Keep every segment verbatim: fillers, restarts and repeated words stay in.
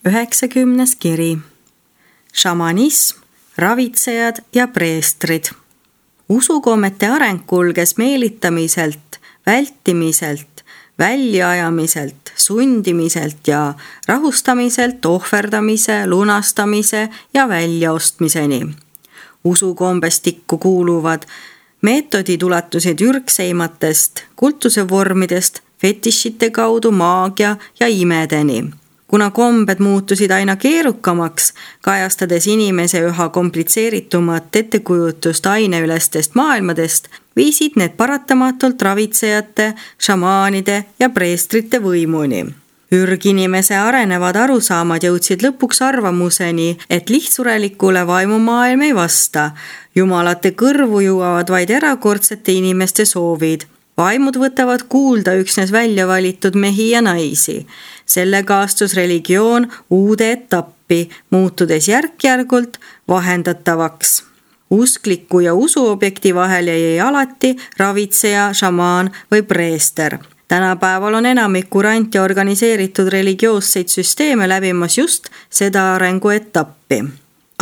üheksakümnes kiri. Šamanism, ravitsejad ja preestrid. Usukommete areng kulges meelitamiselt, vältimiselt, väljaajamiselt, sundimiselt ja rahustamiselt ohverdamise, lunastamise ja väljaostmiseni. Usukombestikku kuuluvad meetodid ulatusid ürgseimatest, kultuse vormidest, fetišite kaudu maagia ja imedeni. Kuna kombed muutusid aina keerukamaks, kajastades inimese üha komplitseeritumat ettekujutust aineülestest maailmadest, viisid need paratamatult ravitsejate, šamaanide ja preestrite võimuni. Ürginimese arenevad arusaamad jõudsid lõpuks arvamuseni, et lihtsurelikule vaimumaailm ei vasta. Jumalate kõrvu jõuavad vaid erakordsete inimeste soovid. Vaimud võtavad kuulda üksnes välja valitud mehi ja naisi. Sellega astus religioon uude etappi, muutudes järk-järgult vahendatavaks. Uskliku ja usuobjekti vahel jäi alati ravitseja, šamaan või preester. Tänapäeval on enamik kurant ja organiseeritud religioosseid süsteeme läbimas just seda arenguetappi.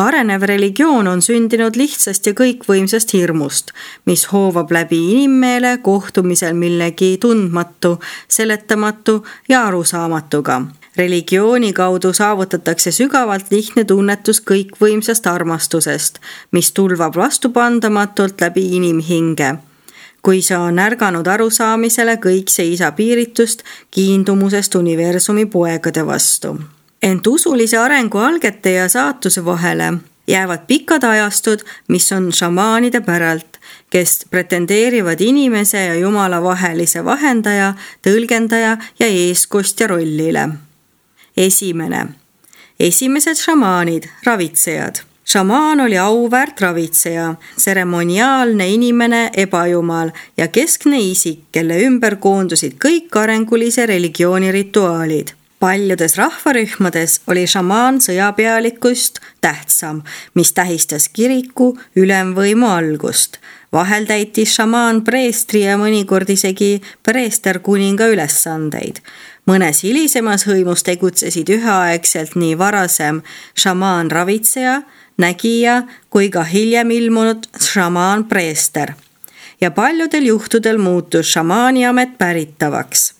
Arenev religioon on sündinud lihtsast ja kõikvõimsast hirmust, mis hoovab läbi inimmeele kohtumisel millegi tundmatu, seletamatu ja arusaamatuga. Religiooni kaudu saavutatakse sügavalt lihtne tunnetus kõikvõimsast armastusest, mis tulvab vastupandamatult läbi inimhinge. Kui see on ärganud arusaamisele kõik see isa piiritust kiindumusest universumi poegade vastu. Ent usulise arengu algete ja saatuse vahele jäävad pikad ajastud, mis on šamaanide päralt, kes pretendeerivad inimese ja jumala vahelise vahendaja, tõlgendaja ja eeskostja rollile. Esimene. Esimesed šamaanid, ravitsejad. Šamaan oli auväärt ravitseja, seremoniaalne inimene, ebajumal ja keskne isik, kelle ümber koondusid kõik arengulise religiooni rituaalid. Paljudes rahvarühmades oli šamaan sõjapealikust tähtsam, mis tähistas kiriku ülemvõimu algust. Vahel täitis šamaan preestri ja mõnikord isegi preester kuninga ülesandeid. Mõnes hilisemas hõimus tegutsesid üheaegselt nii varasem šamaan ravitseja, nägija kui ka hiljem ilmunud šamaan preester. Ja paljudel juhtudel muutus šamaani amet päritavaks.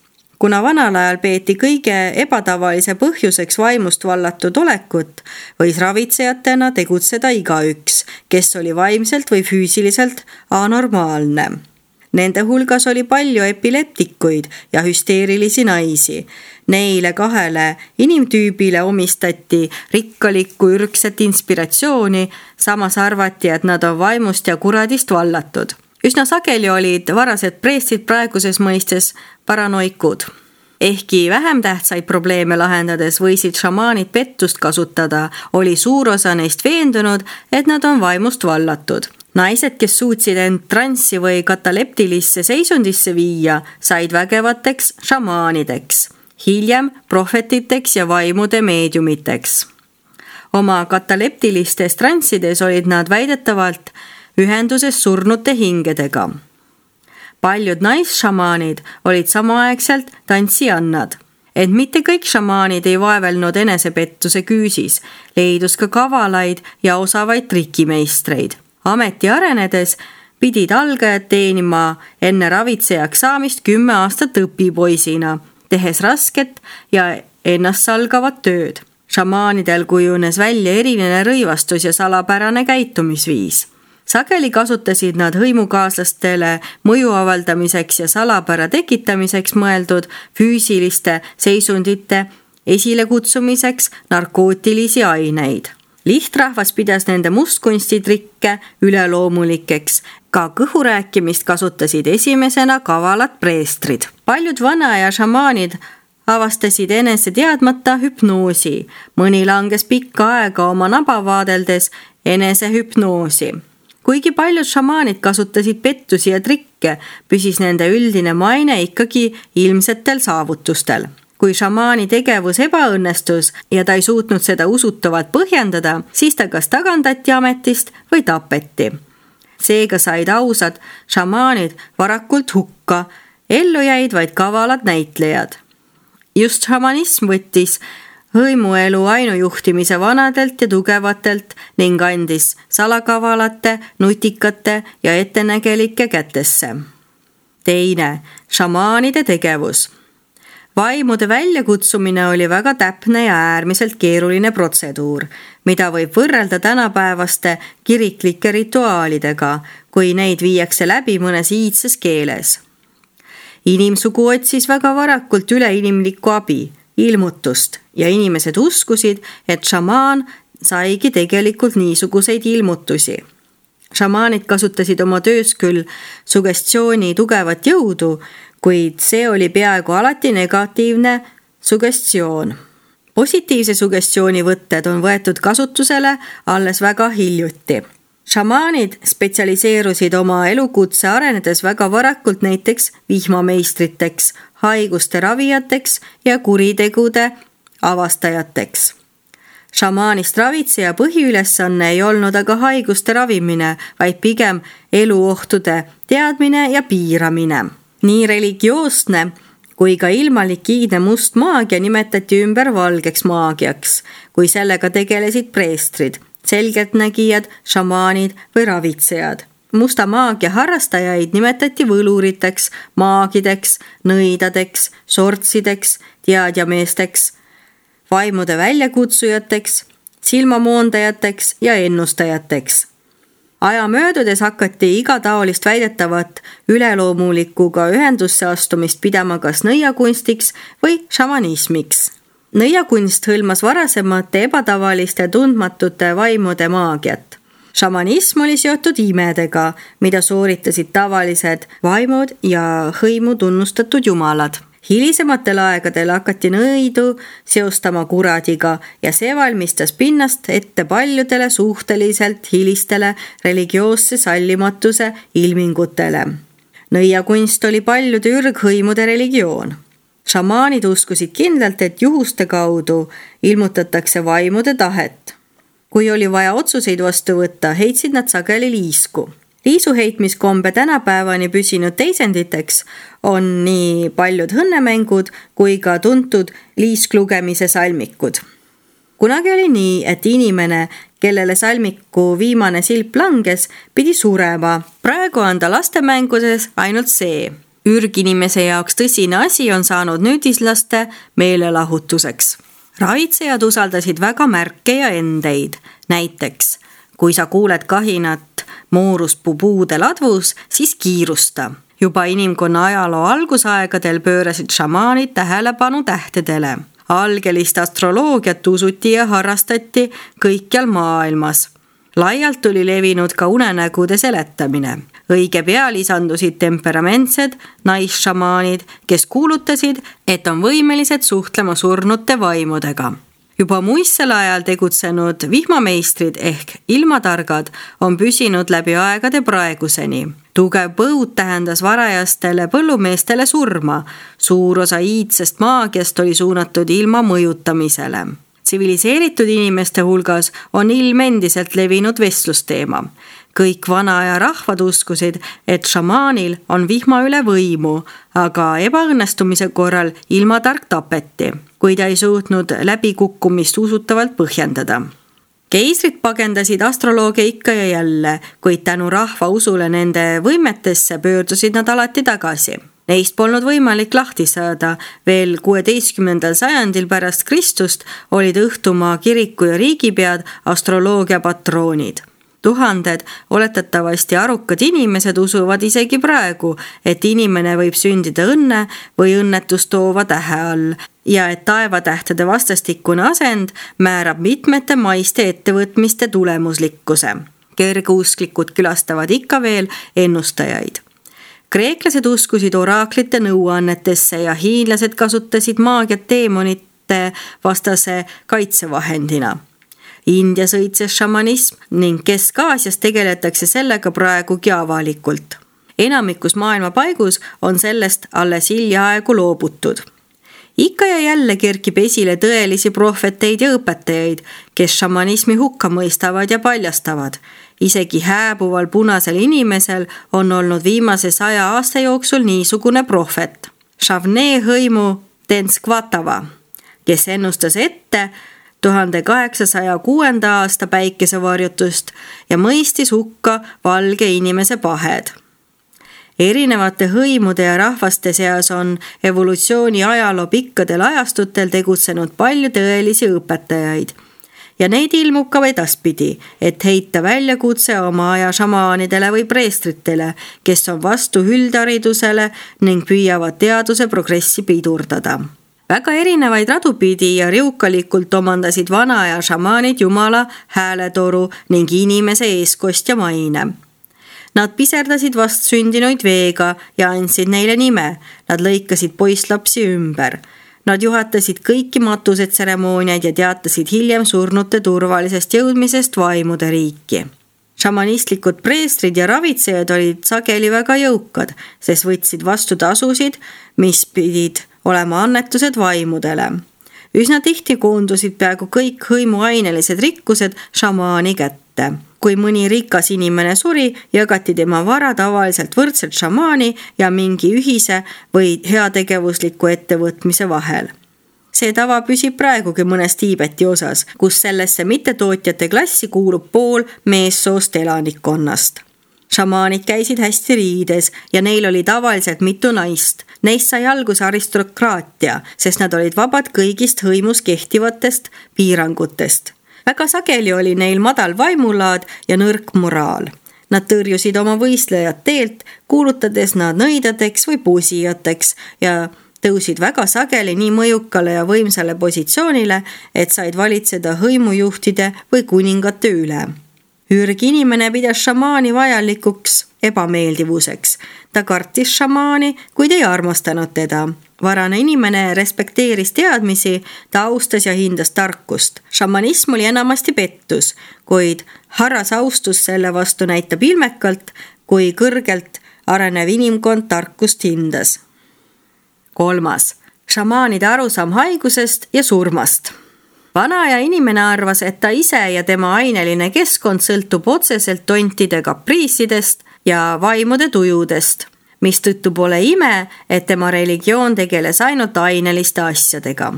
Kuna vanal ajal peeti kõige ebatavalise põhjuseks vaimust vallatud olekut, võis ravitsejatena tegutseda igaüks, kes oli vaimselt või füüsiliselt anormaalne. Nende hulgas oli palju epileptikuid ja hüsteerilisi naisi. Neile kahele inimtüübile omistati rikkalikku ürgset inspiratsiooni, samas arvati, et nad on vaimust ja kuradist vallatud. Üsna sageli olid varased preestrid praeguses mõistes paranoikud. Ehkki vähem tähtsaid probleeme lahendades võisid šamaanid pettust kasutada, oli suur osa neist veendunud, et nad on vaimust vallatud. Naised, kes suutsid end transsi või kataleptilisse seisundisse viia, said vägevateks šamaanideks, hiljem prohvetiteks ja vaimude meediumiteks. Oma kataleptilistes transsides olid nad väidetavalt ühenduses surnute hingedega. Paljud naisšamaanid olid samaaegselt tantsijannad. Ent mitte kõik šamaanid ei vaevelnud enesepettuse küüsis, leidus ka kavalaid ja osavaid trikimeistreid. Ameti arenedes pidid algajad teenima enne ravitsejaks saamist kümme aastat õpipoisina, tehes rasket ja ennast salgavat tööd. Šamaanidel kujunes välja eriline rõivastus ja salapärane käitumisviis. Sageli kasutasid nad hõimukaaslastele mõju avaldamiseks ja salapära tekitamiseks mõeldud füüsiliste seisundite esilekutsumiseks narkootilisi aineid. Lihtrahvas pidas nende mustkunstitrikke üleloomulikeks. Ka kõhurääkimist kasutasid esimesena kavalad preestrid. Paljud vana ja šamaanid avastasid enese teadmata hüpnoosi. Mõni langes pikka aega oma naba vaadeldes enese hüpnoosi. Kuigi paljud šamaanid kasutasid pettusi ja trikke, püsis nende üldine maine ikkagi ilmsetel saavutustel. Kui šamaani tegevus ebaõnnestus ja ta ei suutnud seda usutavalt põhjendada, siis ta kas tagandati ametist või tapeti. Seega said ausad šamaanid varakult hukka, ellu jäid vaid kavalad näitlejad. Just šamanism võttis hõimuelu ainujuhtimise vanadelt ja tugevatelt ning andis salakavalate, nutikate ja ettenägelike kätesse. Teine, šamaanide tegevus. Vaimude väljakutsumine oli väga täpne ja äärmiselt keeruline protseduur, mida võib võrrelda tänapäevaste kiriklike rituaalidega, kui neid viiakse läbi mõnes iidses keeles. Inimsugu otsis väga varakult üleinimlikku abi, ilmutust ja inimesed uskusid, et šamaan saigi tegelikult niisuguseid ilmutusi. Šamaanid kasutasid oma töös küll sugestiooni tugevat jõudu, kuid see oli peaaegu alati negatiivne sugestioon. Positiivse sugestiooni võtted on võetud kasutusele alles väga hiljuti. Šamaanid spetsialiseerusid oma elukutse arenedes väga varakult näiteks vihmameistriteks, haiguste ravijateks ja kuritegude avastajateks. Šamaanist ravitseja põhiülesanne ei olnud aga haiguste ravimine, vaid pigem eluohtude teadmine ja piiramine. Nii religioosne kui ka ilmalik iidne must maagia nimetati ümber valgeks maagiaks, kui sellega tegelesid preestrid, selgeltnägijad, šamaanid või ravitsejad. Musta maagia harrastajaid nimetati võluriteks, maagideks, nõidadeks, sortsideks, teadjameesteks, vaimude väljakutsujateks, silmamoondajateks ja ennustajateks. Aja möödudes hakati igataolist väidetavat üleloomulikuga ühendusse astumist pidama kas nõiakunstiks või šamanismiks. Nõiakunst hõlmas varasemate ebatavaliste tundmatute vaimude maagiat. Šamanism oli seotud imedega, mida sooritasid tavalised vaimud ja hõimu tunnustatud jumalad. Hilisematel aegadel hakati nõidu seostama kuradiga ja see valmistas pinnast ette paljudele suhteliselt hilistele religioosse sallimatuse ilmingutele. Nõiakunst oli paljude ürghõimude religioon. Šamaanid uskusid kindlalt, et juhuste kaudu ilmutatakse vaimude tahet. Kui oli vaja otsuseid vastu võtta, heitsid nad sageli liisku. Liisu heitmiskombe tänapäevani püsinud teisenditeks on nii paljud õnnemängud kui ka tuntud liisklugemise salmikud. Kunagi oli nii, et inimene, kellele salmiku viimane silp langes, pidi surema. Praegu on ta lastemängudes ainult see. Ürginimese jaoks tõsine asi on saanud nüüdislaste meelelahutuseks. Ravitsejad usaldasid väga märke ja endeid. Näiteks, kui sa kuuled kahinat mooruspuu puude ladvus, siis kiirusta. Juba inimkonna ajaloo algusaegadel pöörasid šamaanid tähelepanu tähtedele. Algelist astroloogiat usuti ja harrastati kõikjal maailmas. Laialt tuli levinud ka unenägude seletamine. Õige pea lisandusid temperamentsed naisšamaanid, kes kuulutasid, et on võimelised suhtlema surnute vaimudega. Juba muistsel ajal tegutsenud vihmameistrid ehk ilmatargad on püsinud läbi aegade praeguseni. Tugev põud tähendas varajastele põllumeestele surma. Suur osa iidsest maagiast oli suunatud ilma mõjutamisele. Tsiviliseeritud inimeste hulgas on ilm endiselt levinud vestlusteema. Kõik vana aja rahvad uskusid, et šamaanil on vihma üle võimu, aga ebaõnnestumise korral ilmatark tapeti, kui ta ei suutnud läbikukkumist usutavalt põhjendada. Keisrid pagendasid astroloogia ikka ja jälle, kuid tänu rahva usule nende võimetesse pöördusid nad alati tagasi. Neist polnud võimalik lahti saada. Veel kuueteistkümnendal sajandil pärast Kristust olid Õhtumaa kiriku ja riigipead astroloogia patroonid. Tuhanded oletatavasti arukad inimesed usuvad isegi praegu, et inimene võib sündida õnne või õnnetust toova tähe all ja et taevatähtede vastastikune asend määrab mitmete maiste ettevõtmiste tulemuslikkuse. Kergeusklikud külastavad ikka veel ennustajaid. Kreeklased uskusid oraaklite nõuannetesse ja hiinlased kasutasid maagiat teemonite vastase kaitsevahendina. Indias õitses šamanism ning Kesk-Aasias tegeletakse sellega praegugi avalikult. Enamikus maailma paigus on sellest alles hiljaaegu loobutud. Ikka ja jälle kerkib esile tõelisi prohveteid ja õpetajaid, kes šamanismi hukka mõistavad ja paljastavad. Isegi hääbuval punasel inimesel on olnud viimase saja aasta jooksul niisugune prohvet. Šavne hõimu Tenskvatava, kes ennustas ette tuhande kaheksasaja kuuenda aasta päikesevarjutust ja mõistis hukka valge inimese pahed. Erinevate hõimude ja rahvaste seas on evolutsiooni ajaloo pikkadel ajastutel tegutsenud palju tõelisi õpetajaid. Ja neid ilmub ka edaspidi, et heita väljakutse oma aja šamaanidele või preestritele, kes on vastu üldharidusele ning püüavad teaduse progressi pidurdada. Väga erinevaid radupidi ja riukalikult omandasid vana aja šamaanid jumala hääletoru ning inimese eeskostja maine. Nad piserdasid vastsündinuid veega ja andsid neile nime. Nad lõikasid poisslapsi ümber. Nad juhatasid kõiki matusetseremooniaid ja teatasid hiljem surnute turvalisest jõudmisest vaimude riiki. Šamanistlikud preestrid ja ravitsejad olid sageli väga jõukad, sest võtsid vastu tasusid, mis pidid olema annetused vaimudele. Üsna tihti koondusid peaaegu kõik hõimuainelised rikkused šamaani kätte. Kui mõni rikas inimene suri, jagati tema vara tavaliselt võrdselt šamaani ja mingi ühise või heategevusliku ettevõtmise vahel. See tava püsib praegugi mõnes Tiibeti osas, kus sellesse mittetootjate klassi kuulub pool meessoost elanikkonnast. Šamaanid käisid hästi riides ja neil oli tavaliselt mitu naist. Neist sai alguse aristokraatia, sest nad olid vabad kõigist hõimus kehtivatest piirangutest. Väga sageli oli neil madal vaimulaad ja nõrk moraal. Nad tõrjusid oma võistlejad teelt, kuulutades nad nõidadeks või pusijateks ja tõusid väga sageli nii mõjukale ja võimsale positsioonile, et said valitseda hõimujuhtide või kuningate üle. Ürgi inimene pidas šamaani vajalikuks ebameeldivuseks. Ta kartis šamaani, kuid ei armastanud teda. Varane inimene respekteeris teadmisi, ta austas ja hindas tarkust. Šamanism oli enamasti pettus, kuid harras austus selle vastu näitab ilmekalt, kui kõrgelt arenev inimkond tarkust hindas. Kolmas. Šamaanide arusaam haigusest ja surmast. Vana aja inimene arvas, et ta ise ja tema aineline keskkond sõltub otseselt tontide kapriisidest ja vaimude tujudest, mistõttu pole ime, et tema religioon tegeles ainult aineliste asjadega.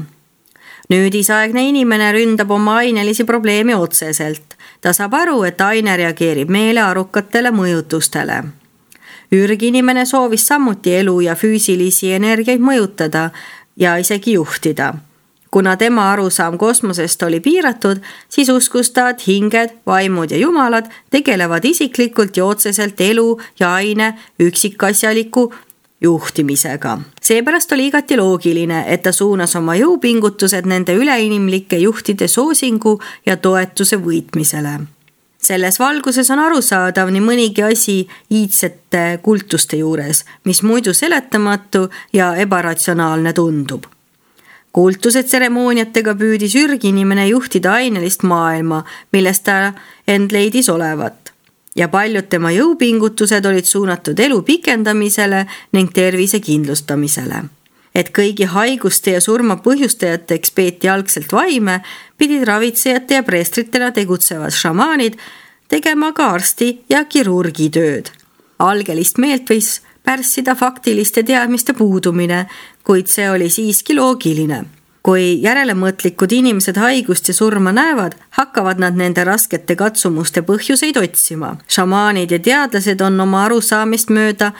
Nüüdisaegne inimene ründab oma ainelisi probleemi otseselt. Ta saab aru, et aine reageerib meelearukatele mõjutustele. Ürginimene soovis samuti elu ja füüsilisi energiaid mõjutada ja isegi juhtida. Kuna tema arusaam kosmosest oli piiratud, siis uskus ta, et hinged, vaimud ja jumalad tegelevad isiklikult ja otseselt elu ja aine üksikasjaliku juhtimisega. Seepärast oli igati loogiline, et ta suunas oma jõupingutused nende üleinimlike juhtide soosingu ja toetuse võitmisele. Selles valguses on arusaadav nii mõnigi asi iidsete kultuste juures, mis muidu seletamatu ja ebaratsionaalne tundub. Kultused tseremooniatega püüdis ürginimene juhtida ainelist maailma, millest ta end leidis olevat. Ja paljud tema jõupingutused olid suunatud elu pikendamisele ning tervise kindlustamisele. Et kõigi haiguste ja surma põhjustajateks peeti algselt vaime, pidid ravitsejate ja preestritena tegutsevad šamaanid tegema ka arsti ja kirurgi tööd. Algelist meelt võis pärssida faktiliste teadmiste puudumine, kuid see oli siiski loogiline. Kui järelemõtlikud inimesed haigust ja surma näevad, hakkavad nad nende raskete katsumuste põhjuseid otsima. Šamaanid ja teadlased on oma arusaamist mööda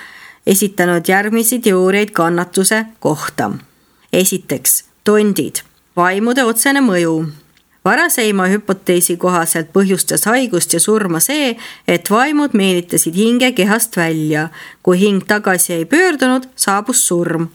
esitanud järgmisi teooriaid kannatuse kohta. Esiteks, tondid, vaimude otsene mõju. Varaseima hüpoteesi kohaselt põhjustas haigust ja surma see, et vaimud meelitasid hinge kehast välja. Kui hing tagasi ei pöördunud, saabus surm.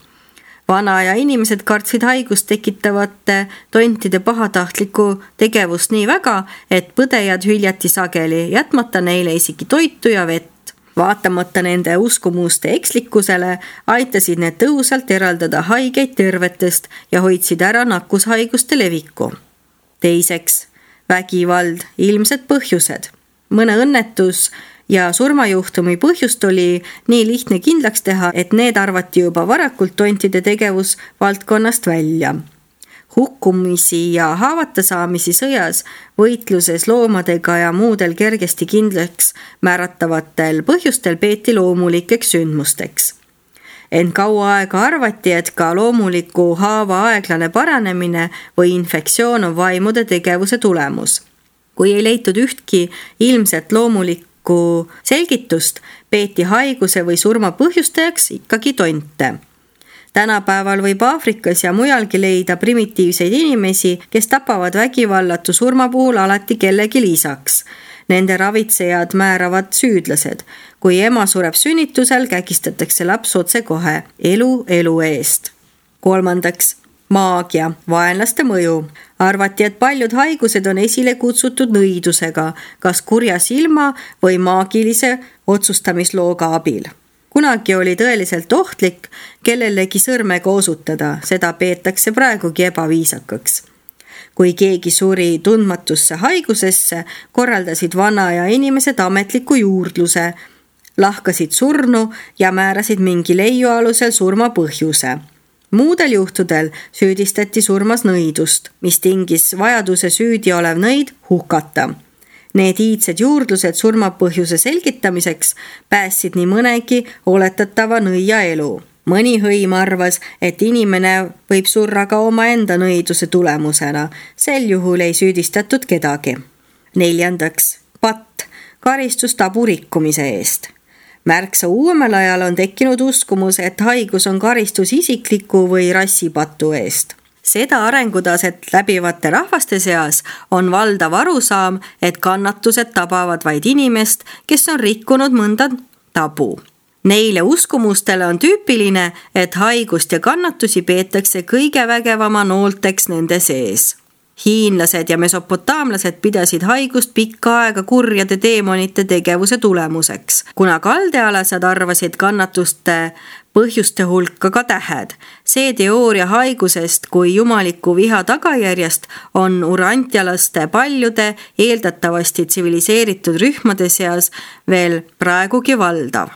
Vana aja inimesed kartsid haigust tekitavate tontide pahatahtlikku tegevust nii väga, et põdejad hüljati sageli, jätmata neile isegi toitu ja vett. Vaatamata nende uskumuste ekslikkusele, aitasid need tõhusalt eraldada haigeid tervetest ja hoidsid ära nakkushaiguste leviku. Teiseks, vägivald, ilmsed põhjused. Mõne õnnetus ja surmajuhtumi põhjust oli nii lihtne kindlaks teha, et need arvati juba varakult tontide tegevus valdkonnast välja. Hukkumisi ja haavata saamisi sõjas, võitluses loomadega ja muudel kergesti kindlaks määratavatel põhjustel peeti loomulikeks sündmusteks. ent kaua aega arvati, et ka loomuliku haava aeglane paranemine või infektsioon on vaimude tegevuse tulemus. Kui ei leitud ühtki ilmset loomulikku selgitust, peeti haiguse või surma põhjustajaks ikkagi tonte. Tänapäeval võib Aafrikas ja mujalgi leida primitiivseid inimesi, kes tapavad vägivallatu surma puhul alati kellegi lisaks. Nende ravitsejad määravad süüdlased. Kui ema sureb sünnitusel, kägistatakse laps otse kohe elu elu eest. Kolmandaks, maagia, vaenlaste mõju. Arvati, et paljud haigused on esile kutsutud nõidusega, kas kurja silma või maagilise otsustamislooga abil. Kunagi oli tõeliselt ohtlik kellelegi sõrmega osutada, seda peetakse praegugi ebaviisakaks. Kui keegi suri tundmatusse haigusesse, korraldasid vana ja inimesed ametliku juurdluse, lahkasid surnu ja määrasid mingi leiu alusel surma põhjuse. Muudel juhtudel süüdistati surmas nõidust, mis tingis vajaduse süüdi olev nõid hukata. Need iidsed juurdlused surma põhjuse selgitamiseks päästsid nii mõnegi oletatava nõia elu. Mõni hõim arvas, et inimene võib surra ka omaenda nõiduse tulemusena. Sel juhul ei süüdistatud kedagi. Neljandaks, patt, karistus tabu rikkumise eest. Märksa uuemal ajal on tekkinud uskumus, et haigus on karistus isikliku või rassipatu eest. Seda arengutaset läbivate rahvaste seas on valdav arusaam, et kannatused tabavad vaid inimest, kes on rikkunud mõnda tabu. Neile uskumustele on tüüpiline, et haigust ja kannatusi peetakse kõige vägevama noolteks nende sees. Hiinlased ja mesopotaamlased pidasid haigust pikka aega kurjade teemonite tegevuse tulemuseks, kuna kaldealased arvasid kannatuste põhjuste hulka ka tähed. See teooria haigusest kui jumaliku viha tagajärjest on urantialaste paljude eeldatavasti tsiviliseeritud rühmade seas veel praegugi valdav.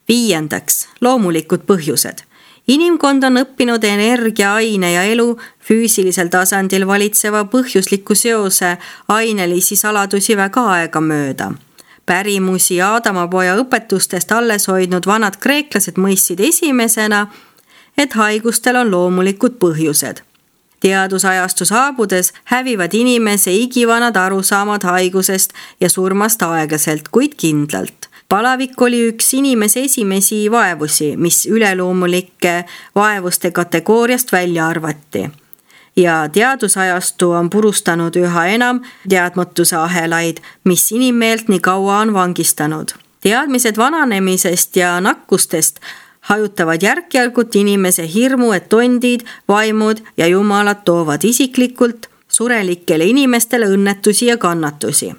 Viiendaks, loomulikud põhjused. Inimkond on õppinud energia, aine ja elu füüsilisel tasandil valitseva põhjusliku seose ainelisi saladusi väga aega mööda. Pärimusi Aadamapoja õpetustest alles hoidnud vanad kreeklased mõistsid esimesena, et haigustel on loomulikud põhjused. Teadusajastu saabudes hävivad inimese igivanad arusaamad haigusest ja surmast aeglaselt, kuid kindlalt. Palavik oli üks inimese esimesi vaevusi, mis üleloomulike vaevuste kategooriast välja arvati. Ja teadusajastu on purustanud üha enam teadmatuse ahelaid, mis inimmeelt nii kaua on vangistanud. Teadmised vananemisest ja nakkustest hajutavad järk-järgult inimese hirmu, et tondid, vaimud ja jumalad toovad isiklikult surelikele inimestele õnnetusi ja kannatusi.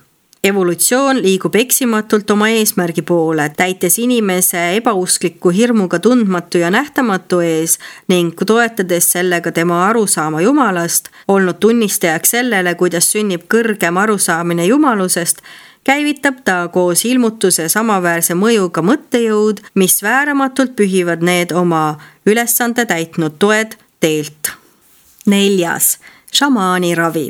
Evolutsioon liigub eksimatult oma eesmärgi poole, täites inimese ebauskliku hirmuga tundmatu ja nähtamatu ees ning toetades sellega tema arusaama jumalast, olnud tunnistajaks sellele, kuidas sünnib kõrgem arusaamine jumalusest, käivitab ta koos ilmutuse samaväärse mõjuga mõttejõud, mis vääramatult pühivad need oma ülesande täitnud toed teelt. Neljas, šamaani ravi.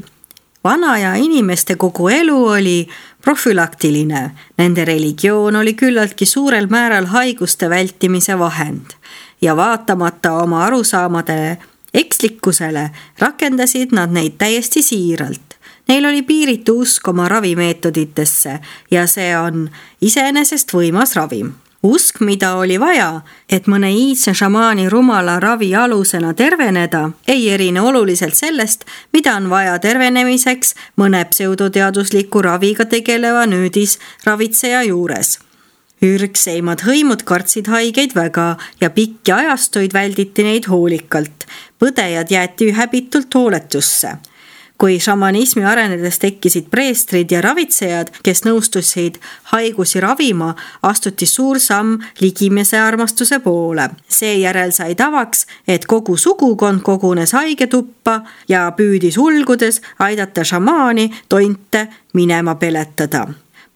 Vana ja inimeste kogu elu oli profülaktiline. Nende religioon oli küllaltki suurel määral haiguste vältimise vahend ja vaatamata oma arusaamadele ekslikkusele rakendasid nad neid täiesti siiralt. Neil oli piiritu usk oma ravimeetoditesse ja see on iseenesest võimas ravim. Usk, mida oli vaja, et mõne iidse šamaani rumala ravi alusena terveneda, ei erine oluliselt sellest, mida on vaja tervenemiseks mõne pseudoteadusliku raviga tegeleva nüüdis ravitseja juures. Ürgseimad hõimud kartsid haigeid väga ja pikki ajastuid välditi neid hoolikalt. Põdejad jäeti häbitult hooletusse. Kui šamanismi arenedes tekkisid preestrid ja ravitsejad, kes nõustusid haigusi ravima, astuti suur samm ligimese armastuse poole. Seejärel sai tavaks, et kogu sugukond kogunes haigetuppa ja püüdis ulgudes aidata šamaani tonte minema peletada.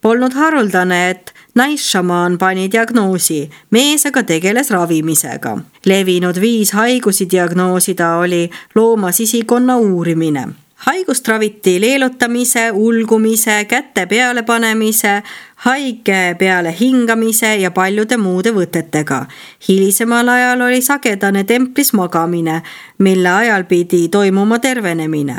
Polnud haruldane, et naisšamaan pani diagnoosi, mees aga tegeles ravimisega. Levinud viis haigusi diagnoosida oli looma sisikonna uurimine. Haigust raviti leelutamise, ulgumise, käte peale panemise, haige peale hingamise ja paljude muude võtetega. Hilisemal ajal oli sagedane templis magamine, mille ajal pidi toimuma tervenemine.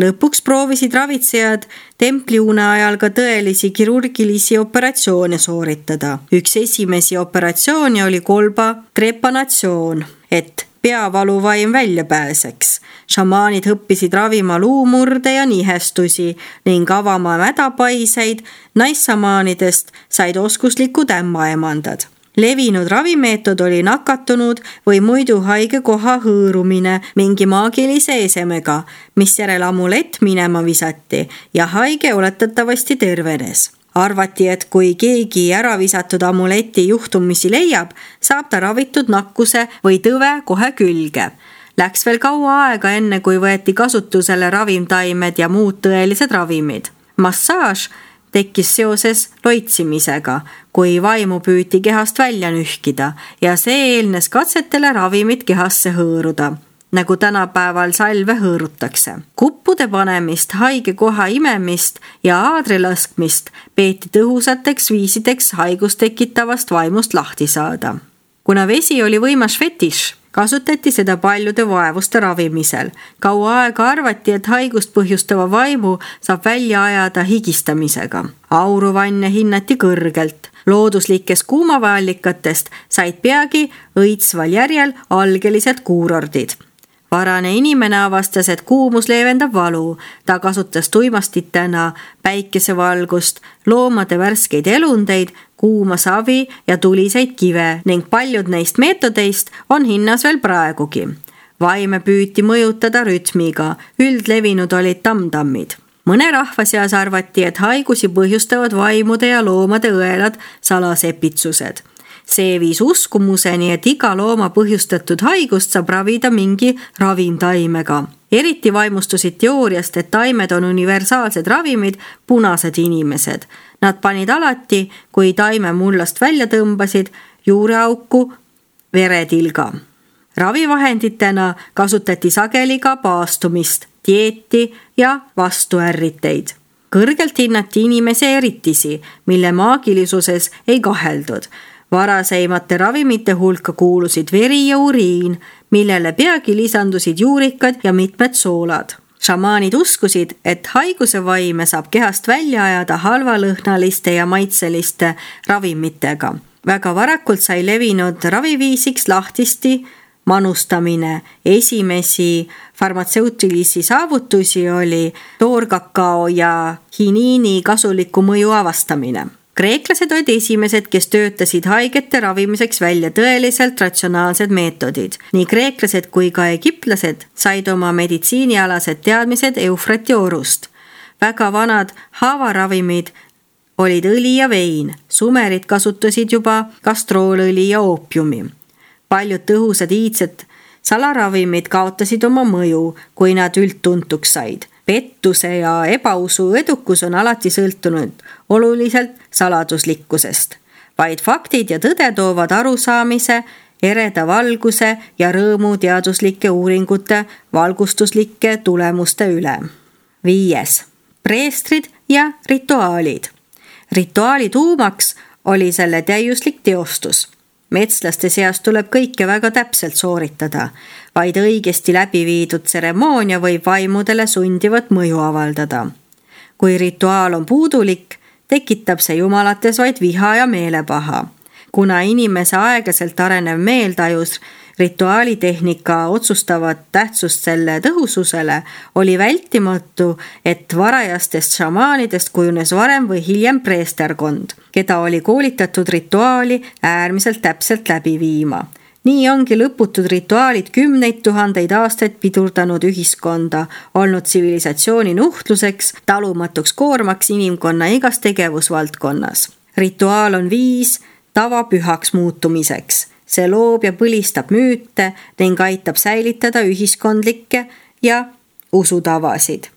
Lõpuks proovisid ravitsejad templiune ajal ka tõelisi kirurgilisi operatsioone sooritada. Üks esimesi operatsiooni oli kolba trepanatsioon, et peavaluvaim välja pääseks. Šamaanid õppisid ravima luumurde ja nihestusi ning avama mädapaiseid, naissamaanidest said oskuslikud ämmaemandad. Levinud ravimeetod oli nakatunud või muidu haige koha hõõrumine mingi maagilise esemega, mis järel amulett minema visati ja haige oletatavasti tervenes. Arvati, et kui keegi ära visatud amuleti juhtumisi leiab, saab ta ravitud nakkuse või tõve kohe külge. Läks veel kaua aega enne, kui võeti kasutusele ravimtaimed ja muud tõelised ravimid. Massaaž tekkis seoses loitsimisega, kui vaimu püüti kehast välja nühkida ja see eelnes katsetele ravimid kehasse hõõruda, nagu tänapäeval salve hõõrutakse. Kuppude panemist, haige koha imemist ja aadri laskmist peeti tõhusateks viisideks haigust tekitavast vaimust lahti saada. Kuna vesi oli võimas fetiš, kasutati seda paljude vaevuste ravimisel. Kaua aega arvati, et haigust põhjustava vaimu saab välja ajada higistamisega. Auruvanne hinnati kõrgelt. Looduslikest kuumavaallikatest said peagi õitsval järjel algelised kuurordid. Varane inimene avastas, et kuumus leevendab valu. Ta kasutas tuimastitena päikesevalgust, loomade värskeid elundeid, kuuma savi ja tuliseid kive ning paljud neist meetodeist on hinnas veel praegugi. Vaime püüti mõjutada rütmiga, üldlevinud olid tamtammid. Mõne rahva seas arvati, et haigusi põhjustavad vaimude ja loomade õelad salasepitsused. See viis uskumuseni, et iga looma põhjustatud haigust saab ravida mingi ravimtaimega. Eriti vaimustusid teooriast, et taimed on universaalsed ravimid, punased inimesed. Nad panid alati, kui taime mullast välja tõmbasid, juureauku veretilga. Ravivahenditena kasutati sageli ka paastumist, dieeti ja vastuärriteid. Kõrgelt hinnati inimese eritisi, mille maagilisuses ei kaheldud. Varaseimate ravimite hulka kuulusid veri ja uriin, millele peagi lisandusid juurikad ja mitmed soolad. Šamaanid uskusid, et haiguse vaime saab kehast välja ajada halvalõhnaliste ja maitseliste ravimitega. Väga varakult sai levinud raviviisiks lahtisti manustamine. Esimesi farmatseutilisi saavutusi oli toorkakao ja hiniini kasuliku mõju avastamine. Kreeklased olid esimesed, kes töötasid haigete ravimiseks välja tõeliselt ratsionaalsed meetodid. Nii kreeklased kui ka egiptlased said oma meditsiinialased teadmised Eufratiorust. Väga vanad haavaravimid olid õli ja vein. Sumerid kasutasid juba kastroolõli ja oopiumi. Paljud tõhusad iidsed salaravimid kaotasid oma mõju, kui nad üldtuntuks said. Pettuse ja ebausu edukus on alati sõltunud oluliselt saladuslikkusest. Vaid faktid ja tõde toovad arusaamise, ereda valguse ja rõõmu teaduslike uuringute valgustuslike tulemuste üle. Viies. Preestrid ja rituaalid. Rituaali tuumaks oli selle täiuslik teostus. Metslaste seas tuleb kõike väga täpselt sooritada. Vaid õigesti läbi viidud tseremoonia võib vaimudele sundivat mõju avaldada. Kui rituaal on puudulik, tekitab see jumalates vaid viha ja meelepaha. Kuna inimese aeglaselt arenev meeltajus rituaalitehnika otsustavat tähtsust selle tõhususele, oli vältimatu, et varajastest šamaanidest kujunes varem või hiljem preesterkond, keda oli koolitatud rituaali äärmiselt täpselt läbi viima. Nii ongi lõputud rituaalid kümneid tuhandeid aastaid pidurdanud ühiskonda, olnud tsivilisatsiooni nuhtluseks, talumatuks koormaks inimkonna igas tegevusvaldkonnas. Rituaal on viis tavapühaks muutumiseks. See loob ja põlistab müüte ning aitab säilitada ühiskondlikke ja usutavasid.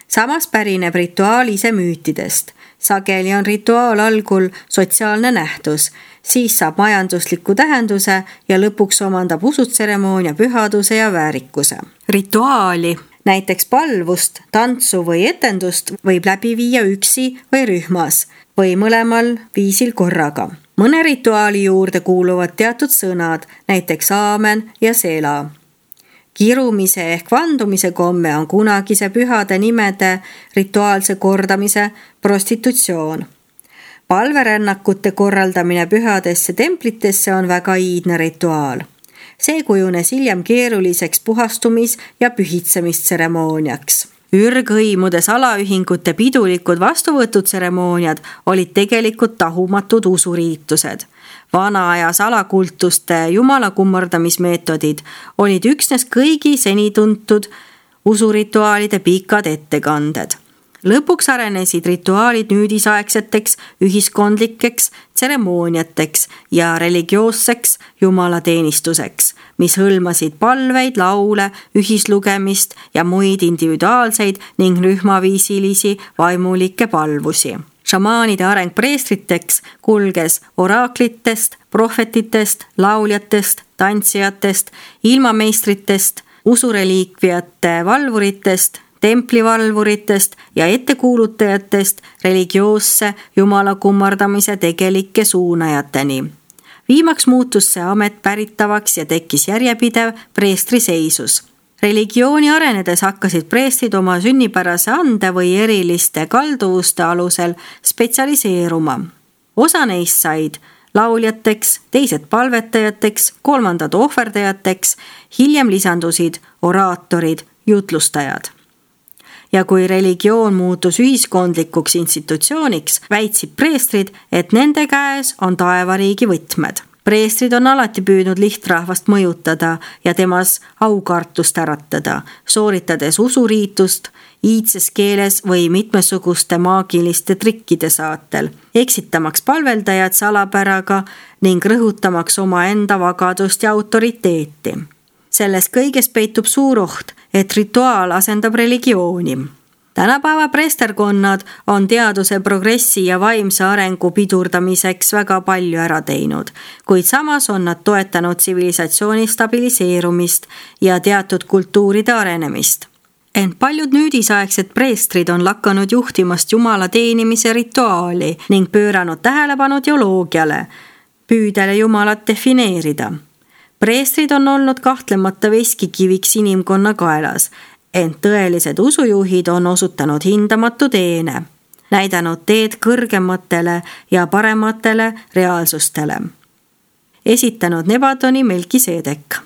Samas pärineb rituaal ise müütidest. Sageli on rituaal algul sotsiaalne nähtus, siis saab majandusliku tähenduse ja lõpuks omandab usutseremoonia pühaduse ja väärikuse. Rituaali Näiteks palvust, tantsu või etendust võib läbi viia üksi või rühmas või mõlemal viisil korraga. Mõne rituaali juurde kuuluvad teatud sõnad, näiteks aamen ja sela. Kirumise ehk vandumise komme on kunagise pühade nimede rituaalse kordamise prostitutsioon. Palverännakute korraldamine pühadesse templitesse on väga iidne rituaal. See kujunes hiljem keeruliseks puhastumis- ja pühitsemistseremooniaks. Ürghõimude salaühingute pidulikud vastuvõtutseremooniad olid tegelikult tahumatud usuriitused. Vana aja salakultuste jumala kummardamismeetodid olid üksnes kõigi seni tuntud usurituaalide pikad ettekanded. Lõpuks arenesid rituaalid nüüdisaegseteks ühiskondlikeks tseremooniateks ja religioosseks jumalateenistuseks, mis hõlmasid palveid, laule, ühislugemist ja muid individuaalseid ning rühmaviisilisi vaimulikke palvusi. Šamaanide areng preestriteks kulges oraaklitest, prohvetitest, lauljatest, tantsijatest, ilmameistritest, usureliikviate valvuritest, templivalvuritest ja ettekuulutajatest religioosse jumala kummardamise tegelike suunajateni. Viimaks muutus see amet päritavaks ja tekkis järjepidev preestri seisus. Religiooni arenedes hakkasid preestrid oma sünnipärase ande või eriliste kalduvuste alusel spetsialiseeruma. Osa neist said lauljateks, teised palvetajateks, kolmandad ohverdajateks, hiljem lisandusid oraatorid, jutlustajad. Ja kui religioon muutus ühiskondlikuks institutsiooniks, väitsid preestrid, et nende käes on taevariigi võtmed. Preestrid on alati püüdnud lihtrahvast mõjutada ja temas aukartust äratada, sooritades usuriitust iidses keeles või mitmesuguste maagiliste trikkide saatel, eksitamaks palveldajad salapäraga ning rõhutamaks oma enda vagadust ja autoriteeti. Selles kõiges peitub suur oht, et rituaal asendab religiooni. Tänapäeva preesterkonnad on teaduse progressi ja vaimse arengu pidurdamiseks väga palju ära teinud, kuid samas on nad toetanud tsivilisatsiooni stabiliseerumist ja teatud kultuuride arenemist. Ent paljud nüüdisaegsed preestrid on lakanud juhtimast jumala teenimise rituaali ning pööranud tähelepanu teoloogiale, püüdele jumalat defineerida. Preestrid on olnud kahtlemata veskikiviks inimkonna kaelas, ent tõelised usujuhid on osutanud hindamatu teene, näidanud teed kõrgematele ja parematele reaalsustele. Esitanud Nebadoni Melkisedek.